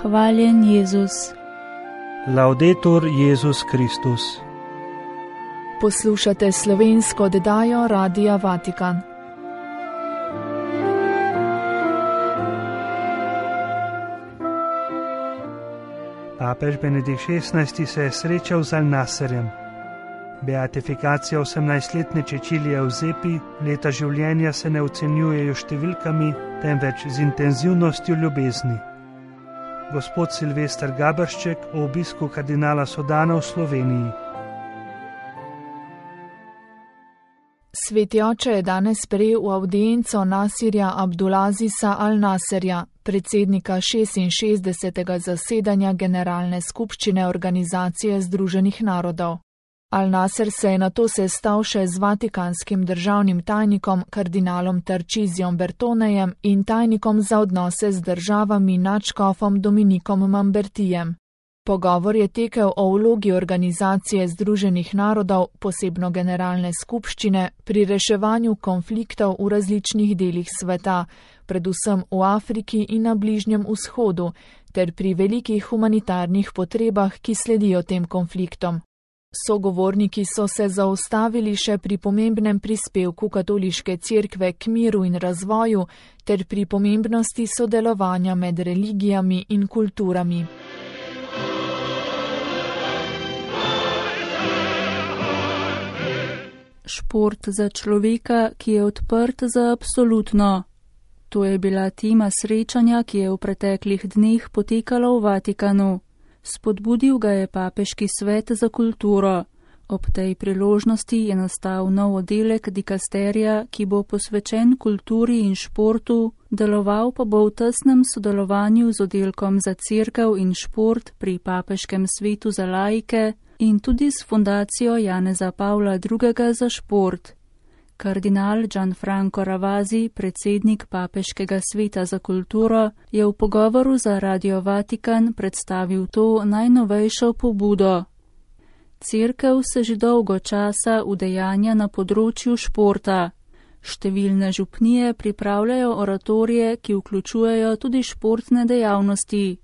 Hvaljen Jezus. Laudetur Jezus Kristus. Poslušate slovensko oddajo Radia Vatikan. Papež Benedikt XVI se je srečal z Al-Nasserjem. Beatifikacija 18-letne Cecilije Eusebi, leta življenja se ne ocenjujejo številkami, temveč z intenzivnostjo ljubezni. Gospod Silvester Gabršček o obisku kardinala Sodana v Sloveniji. Sveti oče je danes sprejel v avdienco Nasirja Abdulazisa Al-Nasserja, predsednika 66. zasedanja Generalne skupščine Organizacije Združenih narodov. Al-Nasser se je nato sestal še z vatikanskim državnim tajnikom kardinalom Tarčizijom Bertonejem in tajnikom za odnose z državami nadškofom Dominikom Mambertijem. Pogovor je tekel o vlogi Organizacije Združenih narodov, posebno Generalne skupščine, pri reševanju konfliktov v različnih delih sveta, predvsem v Afriki in na Bližnjem vzhodu, ter pri velikih humanitarnih potrebah, ki sledijo tem konfliktom. Sogovorniki so se zaustavili še pri pomembnem prispevku katoliške cerkve k miru in razvoju ter pri pomembnosti sodelovanja med religijami in kulturami. Šport za človeka, ki je odprt za absolutno. To je bila tema srečanja, ki je v preteklih dneh potekalo v Vatikanu. Spodbudil ga je Papeški svet za kulturo. Ob tej priložnosti je nastal nov oddelek dikasterija, ki bo posvečen kulturi in športu, deloval pa bo v tesnem sodelovanju z oddelkom za cerkev in šport pri Papeškem svetu za laike in tudi s fundacijo Janeza Pavla II. Za šport. Kardinal Gianfranco Ravasi, predsednik Papeškega sveta za kulturo, je v pogovoru za Radio Vatikan predstavil to najnovejšo pobudo. Cerkev se že dolgo časa udejanja na področju športa. Številne župnije pripravljajo oratorije, ki vključujejo tudi športne dejavnosti.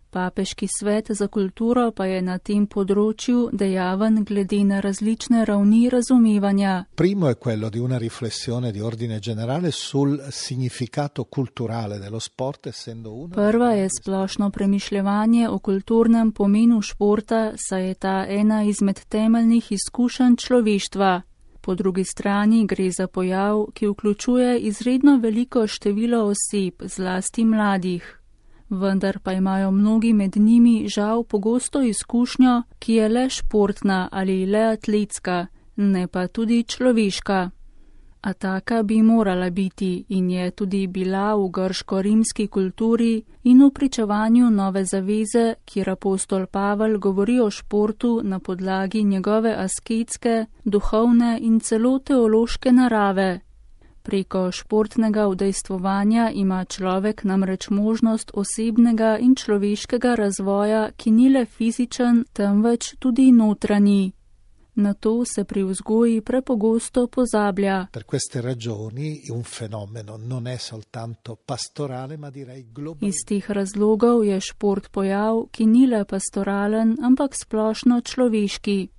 Papeški svet za kulturo pa je na tem področju dejaven glede na različne ravni razumevanja. Primo è quello di una riflessione di ordine generale sul significato culturale dello sport, essendo uno. Prva je splošno premišljevanje o kulturnem pomenu športa, saj je ta ena izmed temeljnih izkušenj človeštva. Po drugi strani gre za pojav, ki vključuje izredno veliko število oseb, zlasti mladih. Vendar pa imajo mnogi med njimi žal pogosto izkušnjo, ki je le športna ali le atletska, ne pa tudi človeška. A taka bi morala biti in je tudi bila v grško-rimski kulturi in v pričevanju nove zaveze, kjer apostol Pavel govori o športu na podlagi njegove asketske, duhovne in celo teološke narave. Preko športnega udejstvovanja ima človek namreč možnost osebnega in človeškega razvoja, ki ni le fizičen, temveč tudi notranji. Na to se pri vzgoji prepogosto pozablja. Per queste ragioni un fenomeno non è soltanto pastorale, ma direi globale. Iz teh razlogov je šport pojav, ki ni le pastoralen, ampak splošno človeški.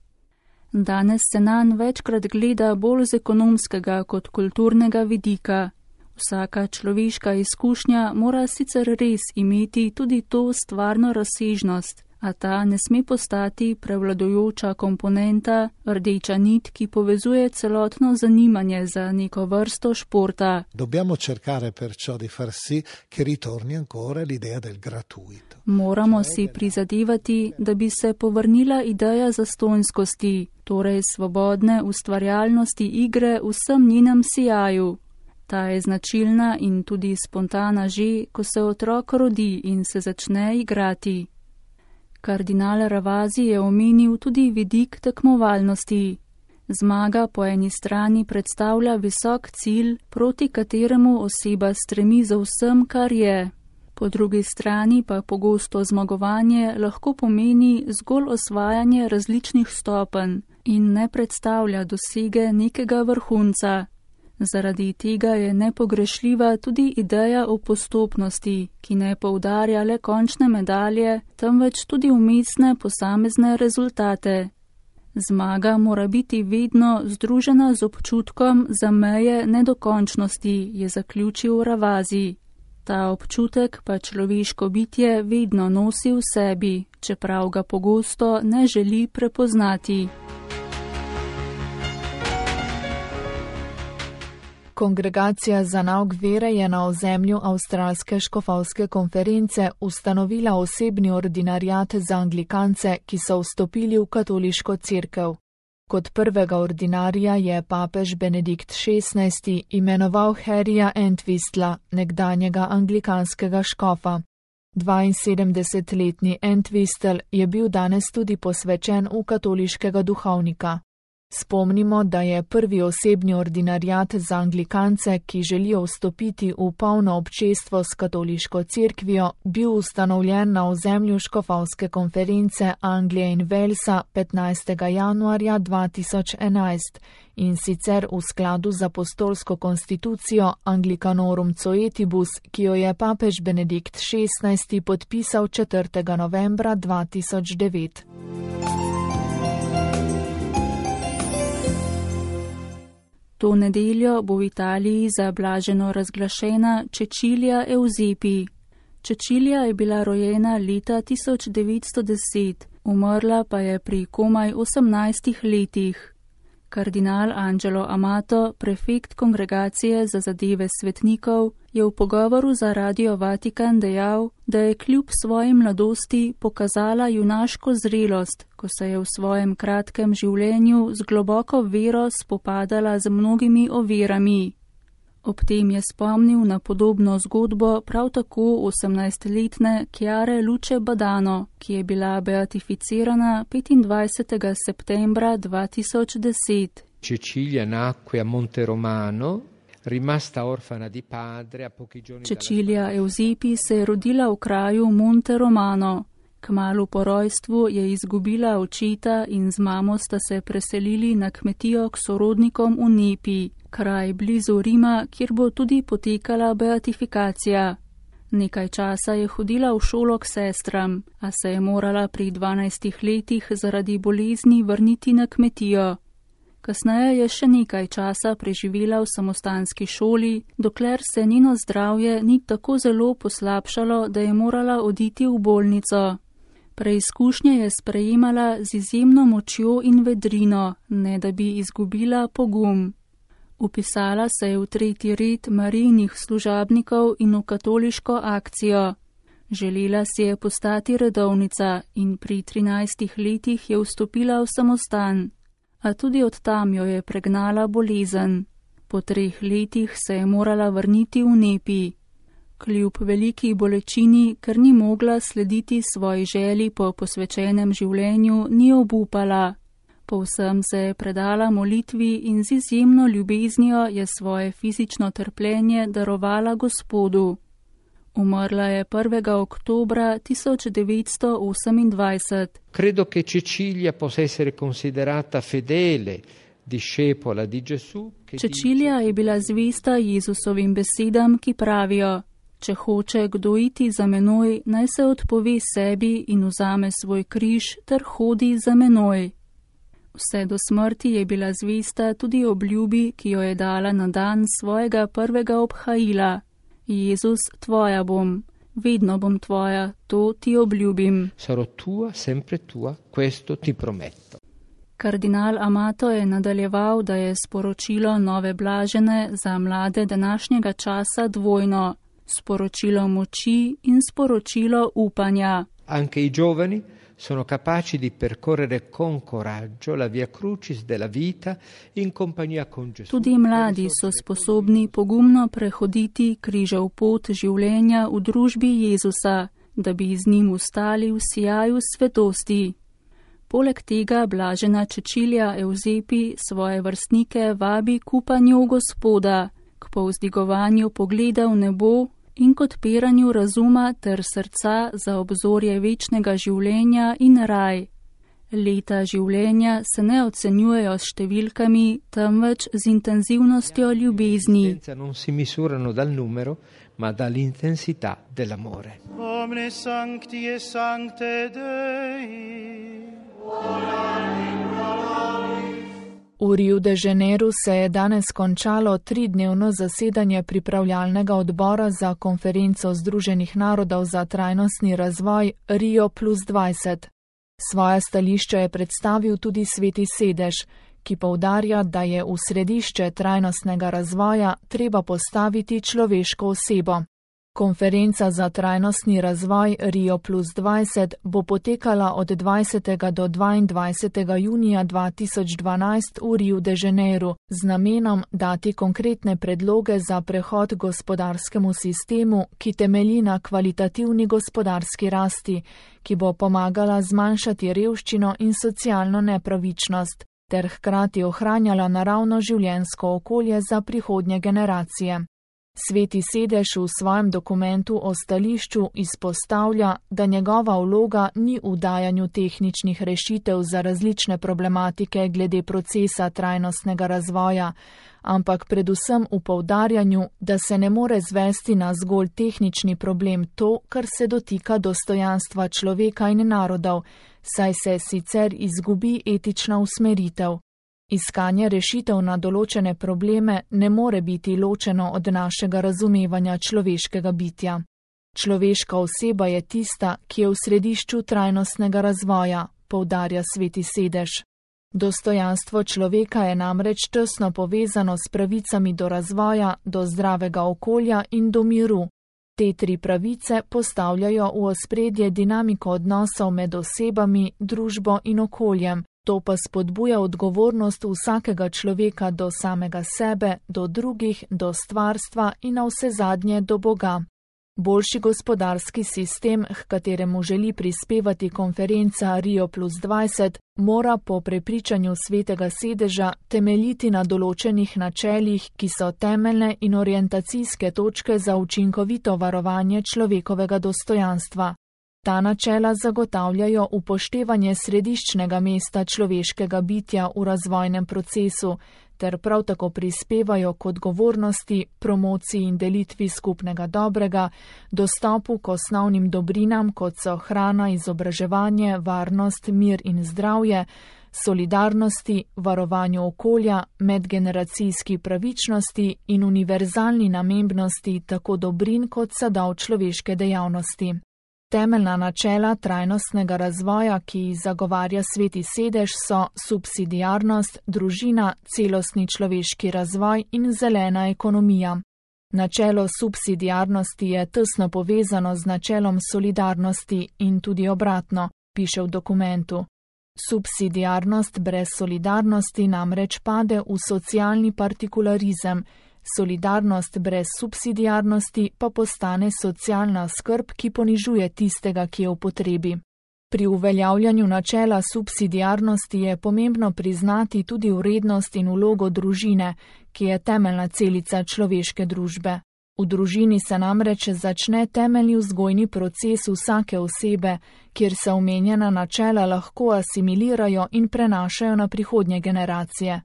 Danes se nanj večkrat gleda bolj z ekonomskega kot kulturnega vidika. Vsaka človeška izkušnja mora sicer res imeti tudi to stvarno razsežnost, a ta ne sme postati prevladujoča komponenta, rdeča nit, ki povezuje celotno zanimanje za neko vrsto športa. Dobbiamo cercare perciò di far sì che ritorni ancora l'idea del gratuito. Moramo si prizadevati, da bi se povrnila ideja zastonjskosti, torej svobodne ustvarjalnosti igre v vsem njenem sijaju. Ta je značilna in tudi spontana že, ko se otrok rodi in se začne igrati. Kardinal Ravasi je omenil tudi vidik tekmovalnosti. Zmaga po eni strani predstavlja visok cilj, proti kateremu oseba stremi za vsem, kar je. Po drugi strani pa pogosto zmagovanje lahko pomeni zgolj osvajanje različnih stopenj in ne predstavlja dosege nekega vrhunca. Zaradi tega je nepogrešljiva tudi ideja o postopnosti, ki ne poudarja le končne medalje, temveč tudi umestne posamezne rezultate. Zmaga mora biti vedno združena z občutkom za meje nedokončnosti, je zaključil Ravasi. Ta občutek pa človeško bitje vedno nosi v sebi, čeprav ga pogosto ne želi prepoznati. Kongregacija za nauk vere je na ozemlju Avstralske škofovske konference ustanovila osebni ordinariat za anglikance, ki so vstopili v katoliško cerkev. Kot prvega ordinarija je papež Benedikt XVI imenoval Harryja Entwistla, nekdanjega anglikanskega škofa. 72-letni Entwistle je bil danes tudi posvečen v katoliškega duhovnika. Spomnimo, da je prvi osebni ordinariat za anglikance, ki želijo vstopiti v polno občestvo s katoliško cerkvijo, bil ustanovljen na ozemlju škofovske konference Anglije in Walesa 15. januarja 2011 in sicer v skladu z apostolsko konstitucijo Anglicanorum Coetibus, ki jo je papež Benedikt XVI podpisal 4. novembra 2009. To nedeljo bo v Italiji za blaženo razglašena Cecilia Eusebi. Cecilia je bila rojena leta 1910, umrla pa je pri komaj 18 letih. Kardinal Angelo Amato, prefekt Kongregacije za zadeve svetnikov, je v pogovoru za Radio Vatikan dejal, da je kljub svoji mladosti pokazala junaško zrelost, ko se je v svojem kratkem življenju z globoko vero spopadala z mnogimi ovirami. Ob tem je spomnil na podobno zgodbo prav tako 18-letne Chiare Luce Badano, ki je bila beatificirana 25. septembra 2010. Cecilia nacque a Monte Romano, rimasta orfana di padre a pochi giorni. Cecilia Eusebi se je rodila v kraju Monte Romano. Kmalu po rojstvu je izgubila očeta in z mamo sta se preselili na kmetijo k sorodnikom v Nepi, kraj blizu Rima, kjer bo tudi potekala beatifikacija. Nekaj časa je hodila v šolo k sestram, a se je morala pri 12 letih zaradi bolezni vrniti na kmetijo. Kasneje je še nekaj časa preživela v samostanski šoli, dokler se njeno zdravje ni tako zelo poslabšalo, da je morala oditi v bolnico. Preizkušnje je sprejemala z izjemno močjo in vedrino, ne da bi izgubila pogum. Upisala se je v 3. red Marijinih služabnikov in v katoliško akcijo. Želela si je postati redovnica in pri 13 letih je vstopila v samostan, a tudi od tam jo je pregnala bolezen. Po 3 letih se je morala vrniti v Nepi. Kljub veliki bolečini, ker ni mogla slediti svoji želji po posvečenem življenju, ni obupala. Povsem se je predala molitvi in z izjemno ljubeznijo je svoje fizično trpljenje darovala Gospodu. Umrla je 1. oktobra 1928. Credo che Cecilia possa essere considerata fedele discepola di Gesù. Cecilia je bila zvesta Jezusovim besedam, ki pravijo: če hoče kdo iti za menoj, naj se odpove sebi in vzame svoj križ ter hodi za menoj. Vse do smrti je bila zvesta tudi obljubi, ki jo je dala na dan svojega prvega obhajila. Jezus, tvoja bom, vedno bom tvoja, to ti obljubim. Sarò tua, sempre tua, questo ti prometto. Kardinal Amato je nadaljeval, da je sporočilo nove blažene za mlade današnjega časa dvojno. Sporočilo moči in sporočilo upanja. Anche i giovani sono capaci di percorrere con coraggio la via crucis della vita in compagnia con Gesù. Tudi mladi so sposobni pogumno prehoditi križev pot življenja v družbi Jezusa, da bi z njim ustali v sijaju svetosti. Poleg tega blažena Cecilia Eusebi svoje vrstnike vabi k upanju v Gospoda, k povzdigovanju pogleda v nebo in k odpiranju razuma ter srca za obzorje večnega življenja in raj. Leta življenja se ne ocenjujejo s številkami, temveč z intenzivnostjo ljubezni. Non si misurano dal numero, ma dall'intensità dell'amore. Omne sancti e sancte Dei. V Rio de Janeiro se je danes končalo 3-dnevno zasedanje pripravljalnega odbora za konferenco Združenih narodov za trajnostni razvoj Rio+20. Svoja stališča je predstavil tudi Sveti Sedež, ki poudarja, da je v središče trajnostnega razvoja treba postaviti človeško osebo. Konferenca za trajnostni razvoj Rio+20 bo potekala od 20. do 22. junija 2012 v Rio de Janeiro z namenom dati konkretne predloge za prehod gospodarskemu sistemu, ki temelji na kvalitativni gospodarski rasti, ki bo pomagala zmanjšati revščino in socialno nepravičnost, ter hkrati ohranjala naravno življenjsko okolje za prihodnje generacije. Sveti Sedež v svojem dokumentu o stališču izpostavlja, da njegova vloga ni v dajanju tehničnih rešitev za različne problematike glede procesa trajnostnega razvoja, ampak predvsem v poudarjanju, da se ne more zvesti na zgolj tehnični problem to, kar se dotika dostojanstva človeka in narodov, saj se sicer izgubi etična usmeritev. Iskanje rešitev na določene probleme ne more biti ločeno od našega razumevanja človeškega bitja. Človeška oseba je tista, ki je v središču trajnostnega razvoja, poudarja Sveti Sedež. Dostojanstvo človeka je namreč tesno povezano s pravicami do razvoja, do zdravega okolja in do miru. Te 3 pravice postavljajo v ospredje dinamiko odnosov med osebami, družbo in okoljem. To pa spodbuja odgovornost vsakega človeka do samega sebe, do drugih, do stvarstva in navsezadnje do Boga. Boljši gospodarski sistem, h kateremu želi prispevati konferenca Rio+20, mora po prepričanju Svetega Sedeža temeljiti na določenih načelih, ki so temeljne in orientacijske točke za učinkovito varovanje človekovega dostojanstva. Ta načela zagotavljajo upoštevanje središčnega mesta človeškega bitja v razvojnem procesu, ter prav tako prispevajo k odgovornosti, promociji in delitvi skupnega dobrega, dostopu k osnovnim dobrinam, kot so hrana, izobraževanje, varnost, mir in zdravje, solidarnosti, varovanju okolja, medgeneracijski pravičnosti in univerzalni namembnosti tako dobrin kot sadov človeške dejavnosti. Temeljna načela trajnostnega razvoja, ki jih zagovarja Sveti Sedež, so subsidiarnost, družina, celostni človeški razvoj in zelena ekonomija. Načelo subsidiarnosti je tesno povezano z načelom solidarnosti in tudi obratno, piše v dokumentu. Subsidiarnost brez solidarnosti namreč pade v socialni partikularizem, solidarnost brez subsidiarnosti pa postane socialna skrb, ki ponižuje tistega, ki je v potrebi. Pri uveljavljanju načela subsidiarnosti je pomembno priznati tudi vrednost in vlogo družine, ki je temeljna celica človeške družbe. V družini se namreč začne temeljni vzgojni proces vsake osebe, kjer se omenjena načela lahko asimilirajo in prenašajo na prihodnje generacije.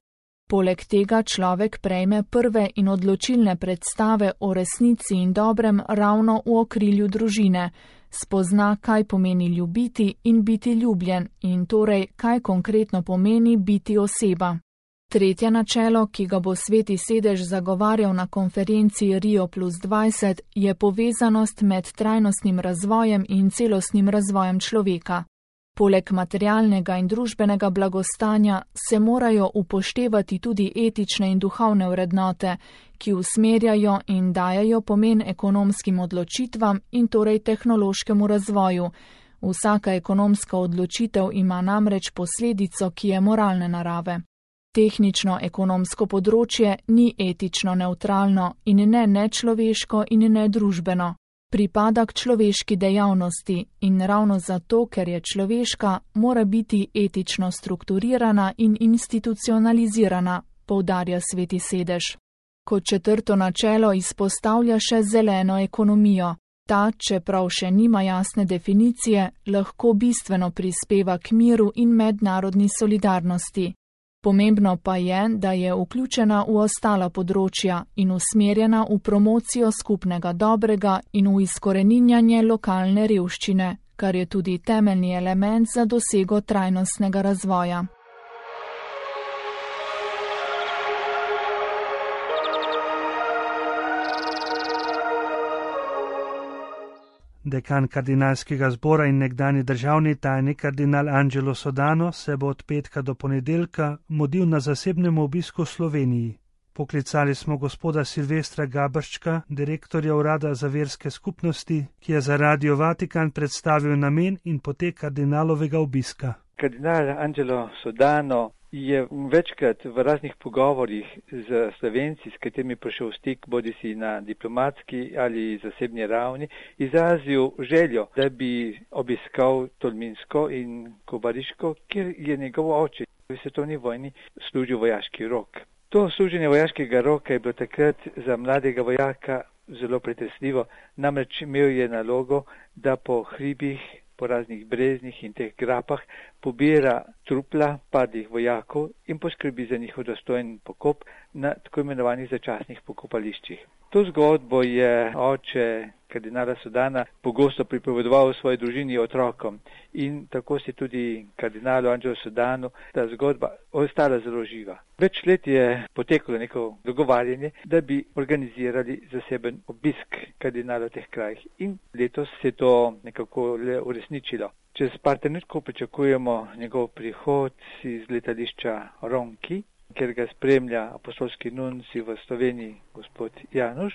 Poleg tega človek prejme prve in odločilne predstave o resnici in dobrem ravno v okrilju družine, spozna, kaj pomeni ljubiti in biti ljubljen in torej, kaj konkretno pomeni biti oseba. Tretje načelo, ki ga bo Sveti Sedež zagovarjal na konferenci Rio+20, je povezanost med trajnostnim razvojem in celostnim razvojem človeka. Poleg materialnega in družbenega blagostanja se morajo upoštevati tudi etične in duhovne vrednote, ki usmerjajo in dajajo pomen ekonomskim odločitvam in torej tehnološkemu razvoju. Vsaka ekonomska odločitev ima namreč posledico, ki je moralne narave. Tehnično-ekonomsko področje ni etično nevtralno in ne nečloveško in ne družbeno. Pripada k človeški dejavnosti in ravno zato, ker je človeška, mora biti etično strukturirana in institucionalizirana, poudarja Sveti Sedež. Kot četrto načelo izpostavlja še zeleno ekonomijo. Ta, čeprav še nima jasne definicije, lahko bistveno prispeva k miru in mednarodni solidarnosti. Pomembno pa je, da je vključena v ostala področja in usmerjena v promocijo skupnega dobrega in v izkoreninjanje lokalne revščine, kar je tudi temeljni element za dosego trajnostnega razvoja. Dekan kardinalskega zbora in nekdani državni tajnik kardinal Angelo Sodano se bo od petka do ponedeljka mudil na zasebnem obisku v Sloveniji. Poklicali smo gospoda Silvestra Gabrščka, direktorja Urada za verske skupnosti, ki je za Radio Vatikan predstavil namen in potek kardinalovega obiska. Kardinal Angelo Sodano je večkrat v raznih pogovorjih z Slovenci, s katerimi prišel v stik, bodisi na diplomatski ali zasebni ravni, izrazil željo, da bi obiskal Tolminsko in Kobariško, kjer je njegov oče v svetovni vojni služil vojaški rok. To služenje vojaškega roka je bilo takrat za mladega vojaka zelo pretresljivo, namreč imel je nalogo, da po hribih, po raznih breznih in teh grapah pobira trupla padlih vojakov in poskrbi za njihov dostojen pokop na tako imenovanih začasnih pokopališčih. To zgodbo je oče kardinala Sodana pogosto pripovedoval svoji družini otrokom in tako se tudi kardinalu Angelo Sodanu ta zgodba ostala zelo živa. Več let je poteklo neko dogovarjanje, da bi organizirali zaseben obisk kardinala v teh krajih in letos se to nekako le uresničilo. Čez par trenutkov pričakujemo njegov prihod iz letališča Ronki, kjer ga spremlja apostolski nunci v Sloveniji gospod Januš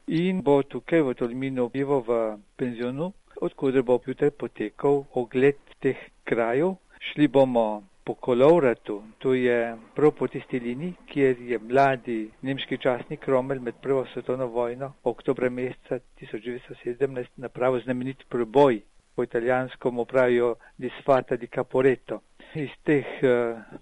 in bo tukaj v Tolminu bival v penzionu, odkuder bo jutri potekal ogled teh krajev. Šli bomo po Kolovratu, to je prav po tisti liniji, kjer je mladi nemški častnik Rommel med prvo svetovno vojno oktobra meseca 1917 napravil znamenit preboj. Po italijansko mu pravijo disfata di Caporetto. Iz teh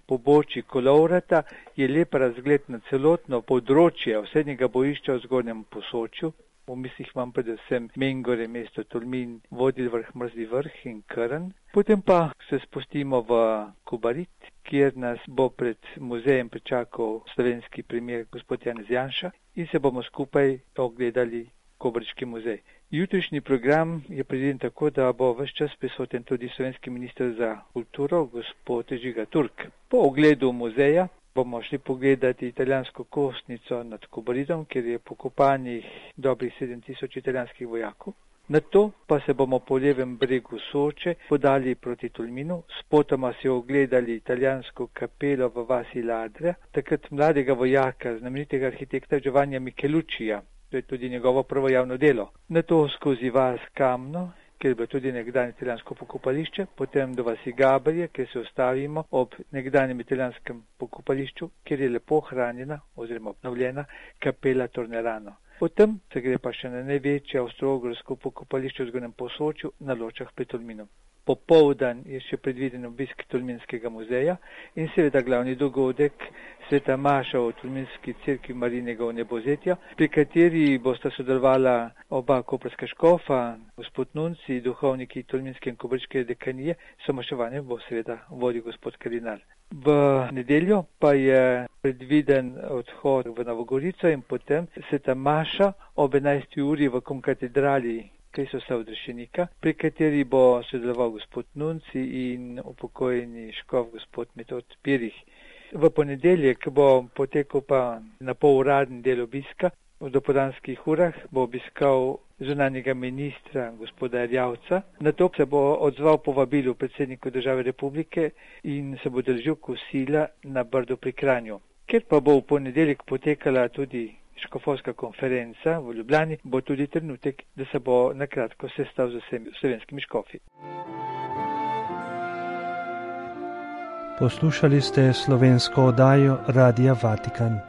pobočij Kolovrata je lep razgled na celotno področje osrednjega bojišča v Zgornjem Posočju. V mislih imam predvsem Mengore, mesto Tolmin, Vodil vrh, Mrzli vrh in Krn. Potem pa se spustimo v Kobarit, kjer nas bo pred muzejem pričakal slovenski premier gospod Janez Janša in se bomo skupaj ogledali Kobariški muzej. Jutrišnji program je predviden tako, da bo ves čas prisoten tudi slovenski minister za kulturo, gospod Žiga Turk. Po ogledu muzeja bomo šli pogledati italijansko kostnico nad Kobaritom, kjer je pokopanih dobrih 7000 italijanskih vojakov. Nato pa se bomo po levem bregu Soče podali proti Tolminu, spotoma si ogledali italijansko kapelo v vasi Ladra, takrat mladega vojaka, znamenitega arhitekta Giovannija Micheluccija. To je tudi njegovo prvo javno delo. Nato skozi vas Kamno, kjer je bilo tudi nekdanje italijansko pokopališče, potem do vasi Gabrije, kjer se ustavimo ob nekdanjem italijanskem pokopališču, kjer je lepo hranjena oziroma obnovljena kapela Tornerano. Potem se gre pa še na največje avstro-ogrsko pokopališče v Zgornjem Posočju na Ločah pri Tolminu. Popoldan je še predviden obisk Tolminskega muzeja in seveda glavni dogodek sveta maša v Tolminski cerkvi Marijinega vnebozetja, pri kateri bosta sodelovala oba koprska škofa, gospod nunci, duhovniki Tolminske in Kobariške dekanije, somaševanje bo seveda vodil gospod kardinal. V nedeljo pa je predviden odhod v Novogorico in potem sveta maša ob 11. uri v Komkatedrali Kristusa odrešenika, pri kateri bo sodeloval gospod nunci in upokojeni škof gospod Metod Pirih. V ponedeljek bo potekal pa na poluradni del obiska. V dopoldanskih urah bo obiskal zunanjega ministra gospoda Erjavca. Nato se bo odzval povabilu predsedniku države republike in se bo držal kosila na Brdu pri Kranju. Ker pa bo v ponedeljek potekala tudi škofovska konferenca v Ljubljani, bo tudi trenutek, da se bo nakratko sestal z vsemi slovenskimi škofi. Poslušali ste slovensko oddajo Radia Vatikan.